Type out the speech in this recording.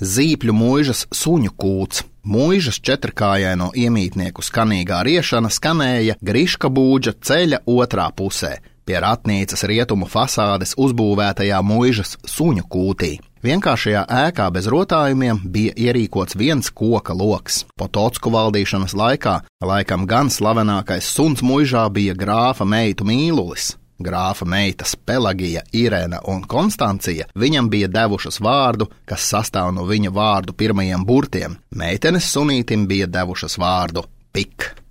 Zīpļu muižas suņu kūts. Muižas četrkājaino iemītnieku skanīgā riešana skanēja Griška būdža ceļa otrā pusē, pie ratnīcas rietumu fasādes uzbūvētajā muižas suņu kūtī. Vienkāršajā ēkā bez rotājumiem bija ierīkots viens koka loks. Potocku valdīšanas laikā laikam gan slavenākais suns muižā bija grāfa meitu Mīlulis. Grāfa meitas Pelagija, Irēna un Konstancija viņam bija devušas vārdu, kas sastāv no viņa vārdu pirmajiem burtiem. Meitenes sunītim bija devušas vārdu Pik.